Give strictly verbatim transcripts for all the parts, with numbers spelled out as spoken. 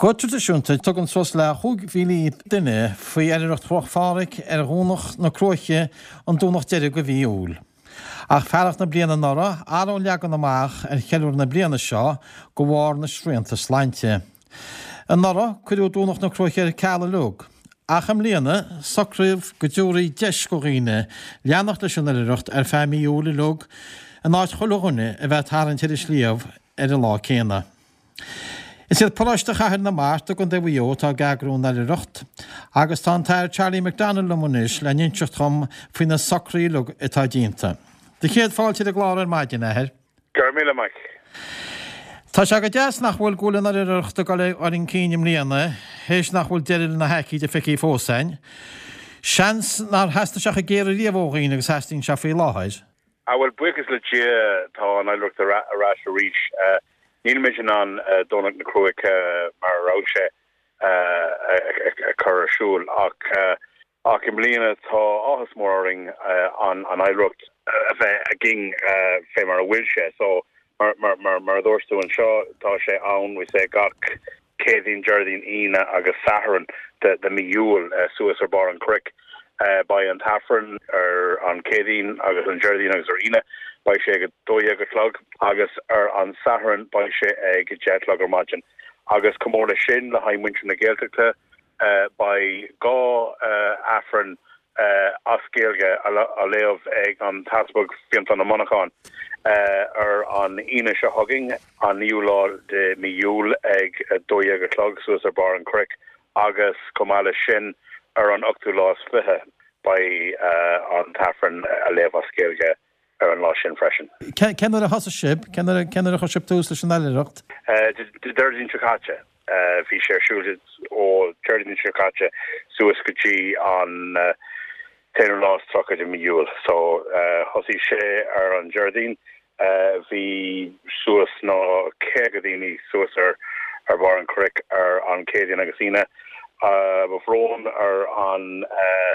Go traidisiúnta tugann suas le chúig mhíle duine faoi oilithreacht Chruach Phádraig ar Dhomhnach na Cruaiche an Domhnach deiridh de mhí Iúil. Ach fearacht na bliana anuraidh, athraíodh an leagan amach ar cheiliúradh na bliana seo de bharr na srianta sláinte. Anuraidh cuireadh Domhnach na Cruaiche ar ceal uilig. Ach i mbliana socraíodh go dtabharfaí deis do dhaoine leanacht leis an oilithreacht ar feadh mí Iúil uilig in áit chuile dhuine a bheith ag tarraingt ar an sliabh ar an lá céanna. Is iad Paróiste Chathair na Mart i gContae Mhaigh Eo atá ag eagrú an oilithreacht agus tá an tAthair Charlie McDonnell liom anois le n-inseacht dhom faoi na socruithe uilig atá déanta. Do chéad fáilte ar an gclár ar maidin, a Athair. Go raibh míle maith. Tá sé go deas nach bhfuil go bhfuil an oilithreacht ag dul ar an cinn i mbliana, théis nach bhfuil deireadh na haicíde feicthe fós againn. Seans nár theastaigh sé chomh géar ariamh ó dhaoine agus theastaíonn sé faoi láthair. Ah bhuel buíochas le Dia tá an oilithreacht ar ais arís. Nílimid in ann Domhnach na Cruaiche mar a raibh sé a chur ar siúl ach ach i mbliana tá áthas mór orainn an an oilithreacht a bheith againn fé mar a bhfuil sé. So mar mar mar mar a dúirt tú anseo tá sé ann we say gach Céadaoin, Déardaoin, Aoine agus Satharn de de mí Iúil suas ar barr an chnoic. Beidh an tAifreann ar an Chéadaoin agus an Déardaoin agus ar Aoine beidh sé ag dó dhéag a chlog agus ar an Satharn beidh sé ag deich a chlog ar maidin. Agus chomh mór leis sin le haghaidh muintir na Gaeltachta beidh dhá Aifreann as Gaeilge á léamh ag an tEaspag Fionntán Ó Monacháin ar an Aoine seo chugainn, an naoú lá de mí Iúil ag dó dhéag a chlog suas ar barr an chnoic agus chomh maith leis sin ar an ochtú lá is fiche beidh an tAifreann á léamh as Gaeilge ar an lá sin freisin. Cén uair a thosaigh sibh? Cén uair a chuir sibh tús leis an oilithreacht? Déardaoin seo caite. Bhí sé ar siúl ó Déardaoin seo caite suas go dtí an t-aonú lá is tríocha de mí Iúil. So thosaigh sé ar an Déardaoin, bhí suas ná caoga daoine suas ar ar bharr an chnoic ar an Chéadaoin agus Aoine. Mo bhrón ar an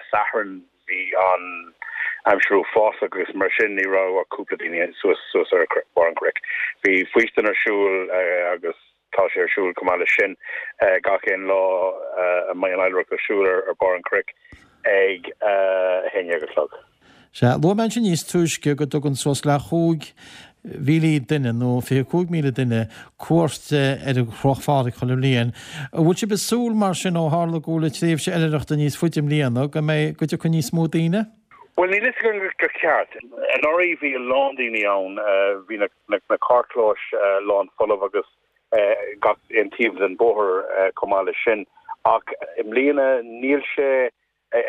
Satharn bhí an aimsir uafásach agus mar sin ní raibh ach cúpla daoine suas suas ar barr an chnoic. Bhí faoistin ar siúl agus tá sé ar siúl chomh maith leis sin gach aon lá a mbeidh an oilithreacht ar siúl ar barr an chnoic ag a haon déag a chlog. Sea, luaigh mé ansin níos túisce go dtugann suas le chúig mhíle duine nó fiche cúig míle duine cuairt ar an Chruach Phádraig chuile bhliain. An bhfuil sibh ag súil mar sin ó tharla go bhfuil an tréimhse oilithreachta níos faide i mbliana go mbeidh go dtiocfaidh níos mó daoine? Bhuel níl fhios agam go ceart. Anuraidh bhí a lán daoine ann, bhí na na carrchlóis lán folamh agus gach aon taobh den bóthar chomh maith leis sin. Ach i mbliana níl sé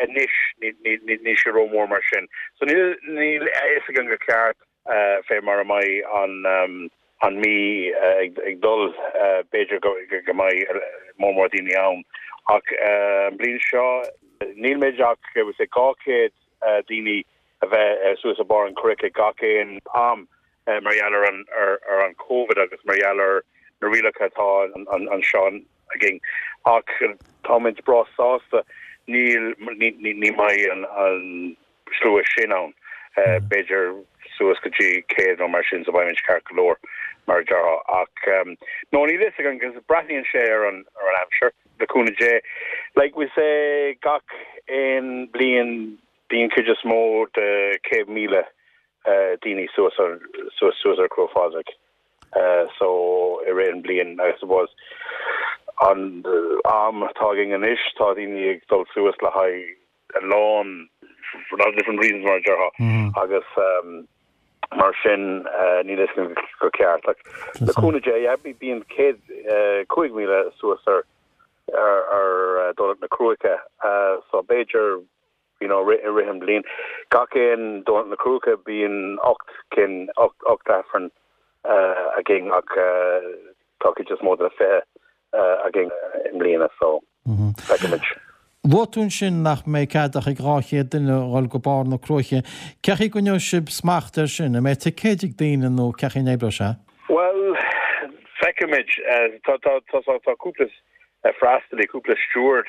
anois níl sé rómhór mar sin. So níl níl a fhios agam go ceart fé mar a mbeidh an an mí ag ag dul b'fhéidir go go mbeidh mór mór daoine ann. Ach an bliain seo níl muid ach sé dhá chéad daoine a bheith suas ar barr an chnoic ag gach aon am mar gheall ar an ar ar an COVID agus mar gheall ar na rialacha atá anseo againn. Ach táimid breá sásta níl ní mbeidh an an slua sin ann. B'fhéidir suas go dtí céad nó mar sin so beimid ceart go leor mar a déarfá ach no níl fhios agam agus breathnaíonn sé ar an ar an aimsir le cúnamh Dé. Like we say gach aon bliain bíonn cuid is mó de céad míle daoine suas ar suas suas ar Chruach Phádraig. Uh, so i rith an bliain I suppose an am atá againn anois tá daoine ag dul suas le haghaidh a lán for a lot of different reasons mar a déarfá agus um, mar sin uh, níl fhios agam go ceart like, le cúnamh Dé yeah, bíonn céad uh, cúig míle suas ar ar ar uh, Domhnach na Cruaiche uh, so b'fhéidir you know i rith an bliain gach aon Domhnach na Cruaiche bíonn ocht cinn ocht ocht aifreann uh, againn ach uh, tá cuid is mó de fiche uh, againn i mbliana so feicfimid. Luaigh tú ansin nach mbeidh cead ach ag dhá chéad duine dhul go barr na Cruaiche. Cén chaoi a gcoinneoidh sibh smacht air sin, an mbeidh ticéid ag daoine nó cén chaoi a n-oibreoidh sé? Well feicfimid tá tá tá tá cúpla freastalaí cúpla steward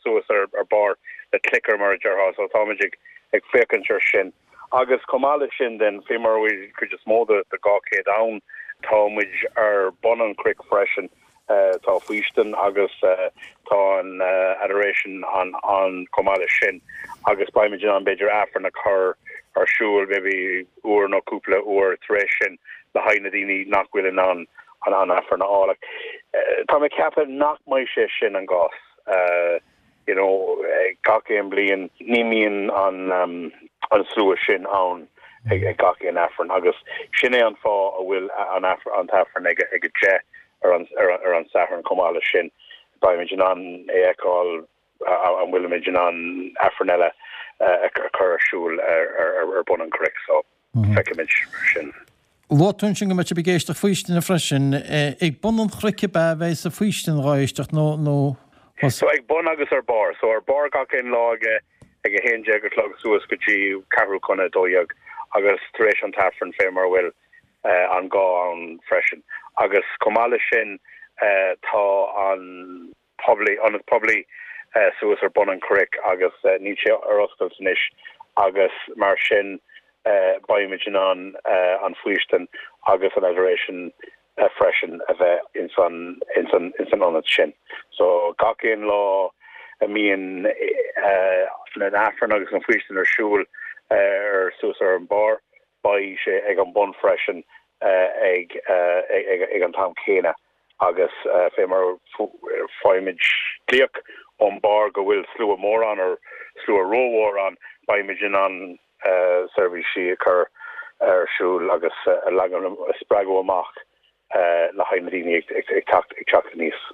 suas ar ar barr le clicker mar a déarfá so táimid ag ag féachaint ar sin. Agus chomh maith leis sin den fé mar bhfuil cuid is mó de de dhá chéad ann tá muid ar bun an chnoic freisin Tá faoistin agus tá an adoration an an chomh maith leis sin agus beimid in ann b'fhéidir Aifreann a chur ar siúl maybe uair nó cúpla uair tar éis sin le haghaidh na daoine nach bhfuil in ann an an Aifreann a fháil. Tá mé ag ceapadh nach mbeidh sé sin an gcás. You know, gach aon bliain ní mbíonn an um, an slua sin ann ag, ag gach aon Aifreann agus sin é an fáth a bhfuil an an tAifreann ag ag a deich ar an ar, ar an Satharn chomh maith leis sin beimid in ann é a fheiceáil an bhfuilimid in ann Aifreann eile a chur ar siúl ar, ar, ar bun an chnoic so mm -hmm. feicfimid sin. Luaigh tú ansin go mbeidh sibh ag éisteacht faoistine freisin ag bun an chnoic ab ea a bheidh an fhaoistin á éisteacht nó nó So ag bun agus ar barr, so ar barr gach aon lá ag ag a haon déag a chlog suas go dtí ceathrú chun a dó dhéag agus tar éis an tAifreann fé mar bhfuil uh, an gá ann freisin. Agus chomh maith leis sin uh, tá an poiblí ionad poiblí uh, suas ar bun an chnoic agus uh, níl sé ar oscailt anois agus mar sin uh, beimid in ann uh, an faoistin agus an adoration uh, freisin a bheith ins an ins an ins an ionad sin. So gach aon lá a mbíonn uh, an Aifreann agus an faoistin ar siúl uh, ar suas ar an barr, beidh sé ag an bun freisin uh, ag, uh, ag, ag an t-am céanna agus uh, fé mar faighimid glaoch ón barr go bhfuil slua mór ann ar slua rómhór ann beimid in ann uh, seirbhísí a chur ar siúl agus uh, a leagan a spreagadh amach uh, le haghaidh na daoine ag, ag, ag teacht ag teacht aníos.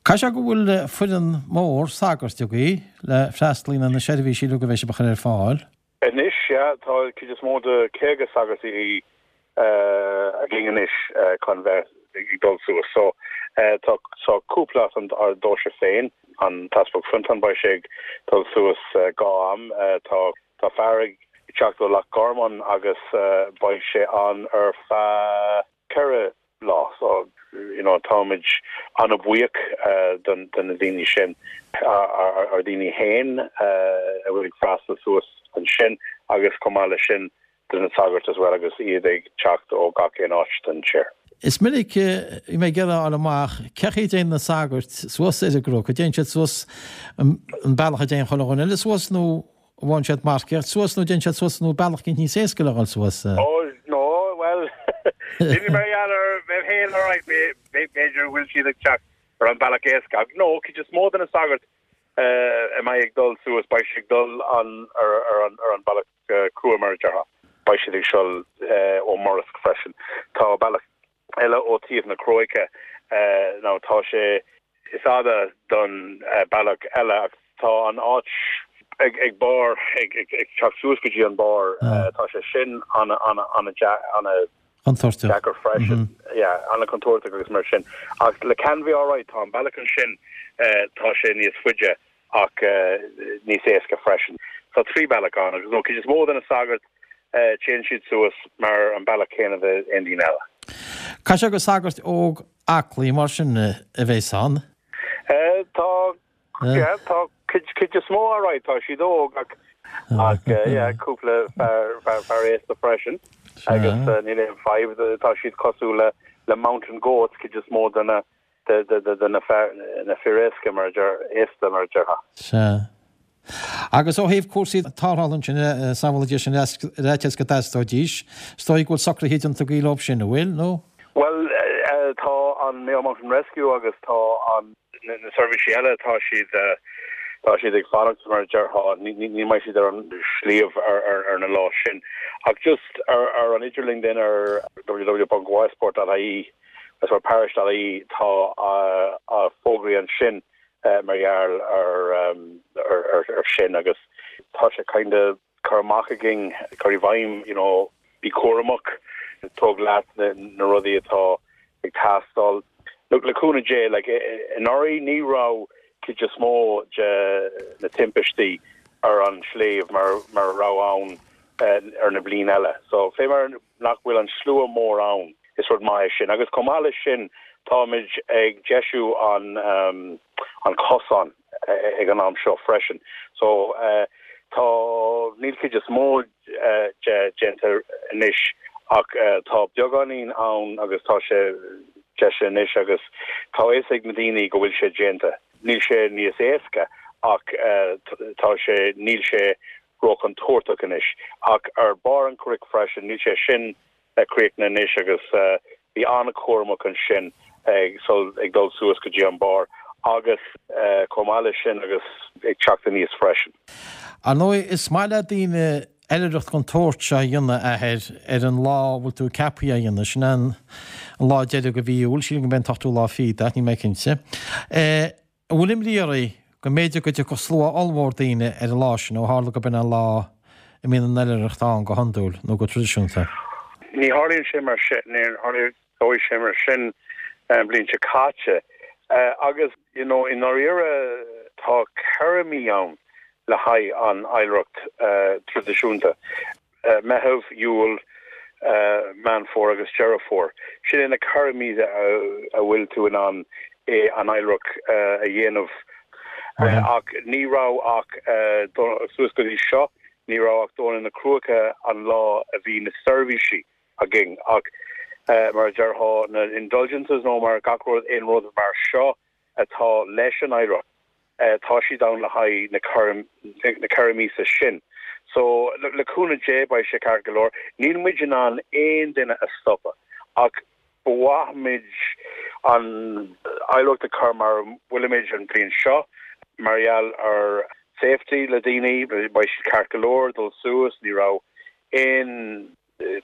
Caithfidh sé go bhfuil foireann mór sagart agaibh le freastal ar na seirbhísí go bhfuil sibh a chur ar fáil. Anois ja tá cuid is mó de caoga sagart uh, againn anois uh, chun bheith ag dul suas so uh, tá so cúpla an ar deoise féin an tEaspag Fionntán beidh sé ag dul suas uh, dhá am uh, tá tá fear ag teacht ó Loch Garman agus uh, beidh sé ann ar feadh ceithre lá so you know táimid an-bhuíoch uh, don don na daoine sin ar ar daoine féin uh, a bhfuil ag freastal suas ansin agus chomh maith leis sin do na sagairt as well agus iad ag teacht ó gach aon áit den tír. Is minic i mé gera amach cechi déon na sagart suas ar an gcnoc, dtéann siad suas an bealach a dtéann chuile dhuine eile suas nó bhfuil siad marcáilte suas nó dtéann siad suas nó bealach cinn níos éasca le dhul suas. Oh no well mar féin b'fhéidir bhfuil siad ag teacht ar an bealach éasca. No cuid is mó de na sagairt a mbeidh ag dul suas beidh siad ag dul an ar ar an ar an bealach crua mar a déarfá. Beidh siad ag siúl ó Murrisk freisin. Tá bealach eile ó taobh na Cnoice nó tá sé is fada don bealach eile tá an áit ag ag barr ag ag ag teacht suas go dtí an barr tá sé sin an an an an Contúirteach. deacair freisin yeah an contúirteach agus mar sin ach le can bhí alright tá an bealach ansin tá sé níos faide ach níos éasca freisin. Tá trí bealach ann agus nó cuid is mó de na sagairt téann siad suas mar an bealach céanna le aon duine eile. Caithfidh sé gur sagart óg aclaí mar sin a bheas ann? Tá tá cuid is mó alright tá siad óg ach ach cúpla fear aosta freisin agus níl aon fadhb tá siad cosúil le le mountain goats cuid is mó de na de de de de na na fir éasca mar aosta mar a déarfá. Sea. Agus ó thaobh cúrsaí tarrthála sin samhlaigh sin réiteas go dteastóidís, is dóigh go bhfuil socruithe déanta agaibh leo sin an bhfuil nó? Well tá an Mayo Mountain Rescue agus tá an na seirbhísí eile tá siad tá siad ag fanacht mar a déarfá ní mbeidh siad ar an sliabh ar ar ar na lá sin. Ach just ar ar an idirlíon den ar www.ysport.ie as mar parish.ie tá a fógraí ansin mar gheall ar ar ar ar sin agus tá sé kind of cur amach againn cur i bhfeidhm you know bí cúramach tóg leat na, na rudaí atá ag teastáil. Look le cúnamh Dé like anuraidh ní raibh cuid is mó de na timpistí ar an sliabh mar mar raibh ann uh, ar na bliain eile. So fé mar nach bhfuil an slua mór ann is rud maith sin agus chomh maith leis sin táimid ag deisiú an um, an cosán ag an am seo freisin. So uh, tá níl cuid is mó uh, de déanta anois ach uh, tá beagáinín ann agus tá sé deisithe anois agus tá a fhios ag na daoine go bhfuil sé déanta. Níl sé níos éasca ach tá sé níl sé róchontúirteach anois. Ach ar barr an chnoic freisin níl sé sin críochnaithe anois agus bí an-chúramach ansin ag ag dul suas go dtí an barr agus chomh maith leis sin agus ag teacht aníos freisin. Ar ndóigh is maith le daoine oilithreacht den tsórt seo a dhéanamh athair ar an lá a bhfuil tú ceaptha a dhéanamh, sin an lá deiridh de mhí Iúil, sílim go mbeidh an t-ochtú lá fichead ach níl mé cinnte. An bhfuil imní oraibh go mb'fhéidir go dtiocfadh slua ollmhór daoine ar an lá sin ó tharla go b'in an lá a mbíonn an oilithreacht ann go hiondúil nó go traidisiúnta? Ní tharlaíonn sé mar sin, ní tharlaíonn sé mar sin an bhliain seo caite. Agus you know i ndáiríre tá ceithre mí ann le haghaidh an oilithreacht traidisiúnta, Meitheamh, Iúil, Meán Fómhair agus Deireadh Fómhair. Sin é na ceithre mí a bhfuil tú in ann an oilithreacht a dhéanamh. Ach ní raibh ach suas go dtí seo, ní raibh ach Domhnach na Cruaiche an lá a bhí na seirbhísí againn. Ach mar a déarfá na indulgences nó mar gach rud aon rud mar seo atá leis an oilithreacht, tá siad ann le haghaidh na na ceithre míosa sin. So le cúnamh Dé beidh sé ceart go leor. Níl muid in ann aon duine a stopadh ach ba mhaith muid an oilithreacht a chur mar bhfuilimid an bhliain seo mar gheall ar safety le daoine, beidh siad ceart go leor dul suas, ní raibh aon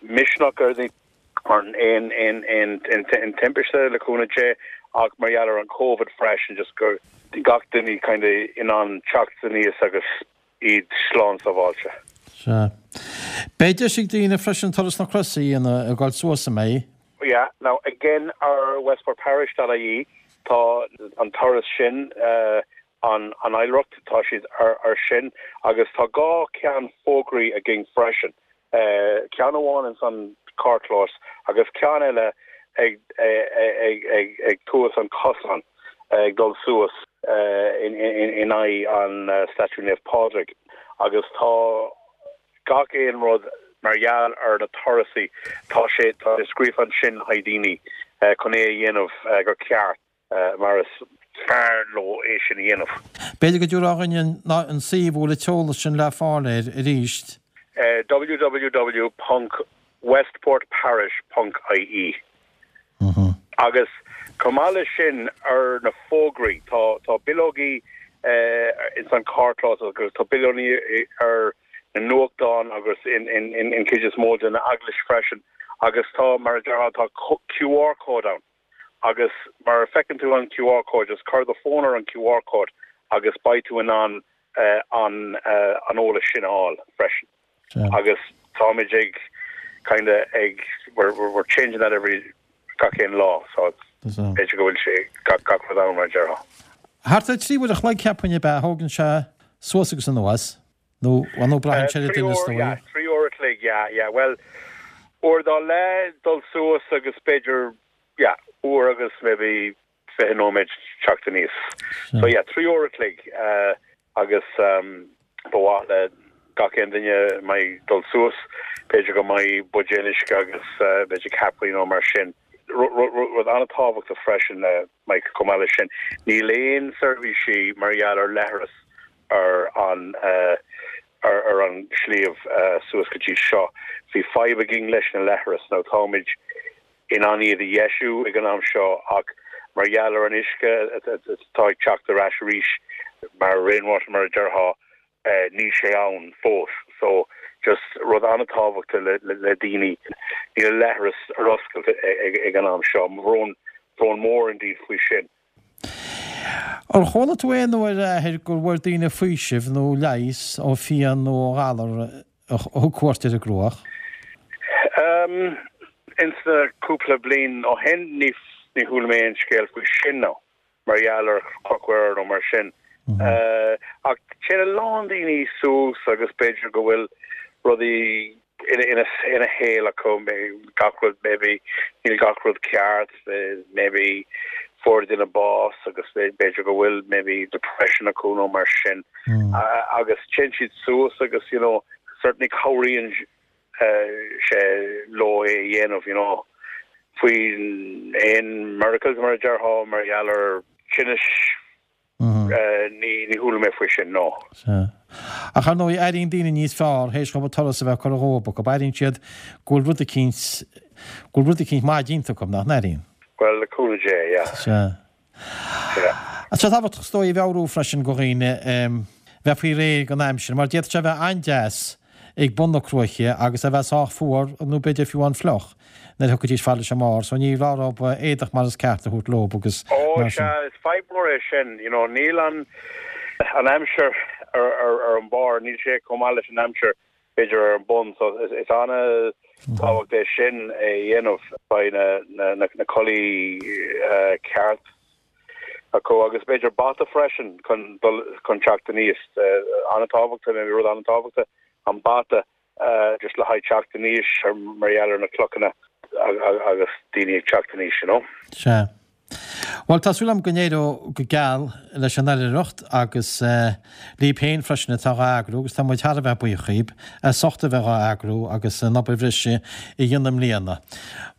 misneach ar aon aon aon aon timpiste le cúnamh Dé ach mar gheall ar an COVID freisin just gur gach duine kind of in ann teacht aníos agus iad slán sábháilte. Sea. Beidh deis ag daoine freisin turas na croise a dhéanamh ag dul suas an mbeidh? Yeah, now again ar westportparish.ie tá an turas sin uh, an an oilithreacht tá siad ar, ar sin agus tá dhá ceann fógraí againn freisin. Uh, ceann amháin in san carrchlós agus ceann eile ag ag ag ag ag tús an cosán ag dul suas uh, in, in, in aghaidh an uh, statue Naomh Pádraig agus tá gach aon rud mar gheall ar na turasaí tá sé tá scríofa ansin haghaidh daoine uh, chun é a dhéanamh uh, go ceart uh, mar is fearr leo é sin a dhéanamh. B'fhéidir go dtabharfá dhúinn an suíomh bhfuil an t-eolas sin le fáil air arís. Uh, www.westportparish.ie mm -hmm. Agus chomh maith leis sin ar na fógraí tá tá bileogaí uh, in san carrchlós agus tá bileogaí ar na nuachtáin agus in in in in cuid is mó den eaglais freisin agus tá mar a tá QR code ann agus mar a feiceann tú an QR code just cuir do fón ar an QR code agus beidh tú in ann uh, an uh, an eolas sin a fháil freisin yeah. agus táimid ag kind of ag we're, we're, we're changing that every gach aon lá so b'fhéidir go bhfuil sé gach gach rud ann mar déarfá. Thart ar trí uair a chloig ceapaim ab ea thógann sé suas agus anuas nó nó braitheann sé duine trí uair a chloig yeah yeah well uair dá leith dul suas agus b'fhéidir yeah uair agus maybe fiche nóiméad teacht aníos so yeah trí uair a chloig uh, agus um, ba mhaith le gach aon duine mbeidh dul suas b'fhéidir go mbeidh buidéal uisce agus uh, b'fhéidir cápaí nó mar sin rud an-tábhachtach freisin le Mike chomh maith leis sin níl aon seirbhísí mar gheall ar leithreas ar an uh, ar, ar an sliabh uh, suas go dtí seo. Bhí fadhb againn leis na leithreas nó táimid in ann iad a dheisiú ag an am seo ach mar gheall ar an uisce atá ag teacht ar ais arís mar rainwater mar a déarfá uh, níl sé ann fós. So just rud an-tábhachtach le, le, le daoine níl leithreas ar oscailt ag, ag an am seo, brón brón mór indeed faoi sin. Ar chuala tú aon uair athair go bhfuair daoine faoiseamh nó leigheas ó phian nó ó ghalar a thug cuairt ar an gCruaich? Um, ins na cúpla bliain ó shin ní ní chuala mé aon scéal faoi sin nó mar gheall ar Chnoc Mhuire nó mar sin. Mm -hmm. uh, ach téann a lán daoine suas agus b'fhéidir go bhfuil rudaí ina ina ina shaol acu gach rud maybe níl gach rud ceart maybe fuair duine bás agus b'fhéidir go bhfuil maybe depression acu nó mar sin mm. uh, agus téann siad suas agus you know certainly cabhraíonn uh, sé leo é dhéanamh you know faoi aon miracles mar a déarfá mar gheall ar tinnis ní ní chuala mé faoi sin no. Ach ar ndóigh airíonn daoine níos fearr théis dóibh turas a bheith curtha dhóibh acu, airíonn siad go bhfuil rud eicínt go bhfuil rud eicínt maith déanta acu nach n-airíonn? Well le cúnamh Dé, yeah. Sea. Yeah. Tá sé tábhachtach is dóigh a mheabhrú freisin go dhaoine bheith faoi réir don aimsir mar d'fhéadfadh sé a bheith an-deas ag bun na cruaiche agus a bheith sách fuar nó b'fhéidir fiú an-fhliuch nuair a thiocfaidís fad leis an mbarr so ní raibh orthu éadach mar is ceart a thabhairt leo agus Ó mar sin. sea, is fadhb mhór é sin, you know, níl an an aimsir ar ar ar an barr, níl sé chomh maith leis an aimsir b'fhéidir ar an bun so is is an-tábhacht é sin a dhéanamh beidh na na na na culaith uh, ceart acu agus b'fhéidir bata freisin chun dul chun teacht aníos uh, an-tábhachtach rud an-tábhachtach an bata uh, just le haghaidh teacht aníos ar mar gheall ar na clochanna agus daoine ag teacht aníos, you know. Sea. Well tá súil agam go n-éireoidh go geal leis an oilithreacht agus uh, libh féin freisin atá á eagrú agus tá muid thar a bheith buíoch díbh as ucht a bheith á eagrú agus an obair bhreise a dhéanamh i mbliana.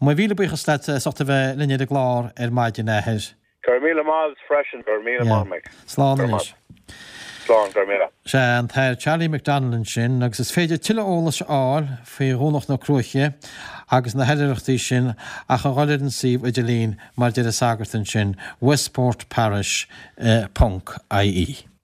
Mo mhíle buíochas leat as ucht a bheith linn ar an gclár ar maidin a athair. Gur míle maith freisin gur míle maith. Slán anois. Slán gur míle. Sé an tAthair Charlie McDonald ansin agus is féidir tuilleadh eolais a fháil faoi Dhomhnach na Cruaiche agus na hoilithreachtaí sin ach a dhul ar an suíomh idirlín mar deir an sagart ansin westportparish ponc IE.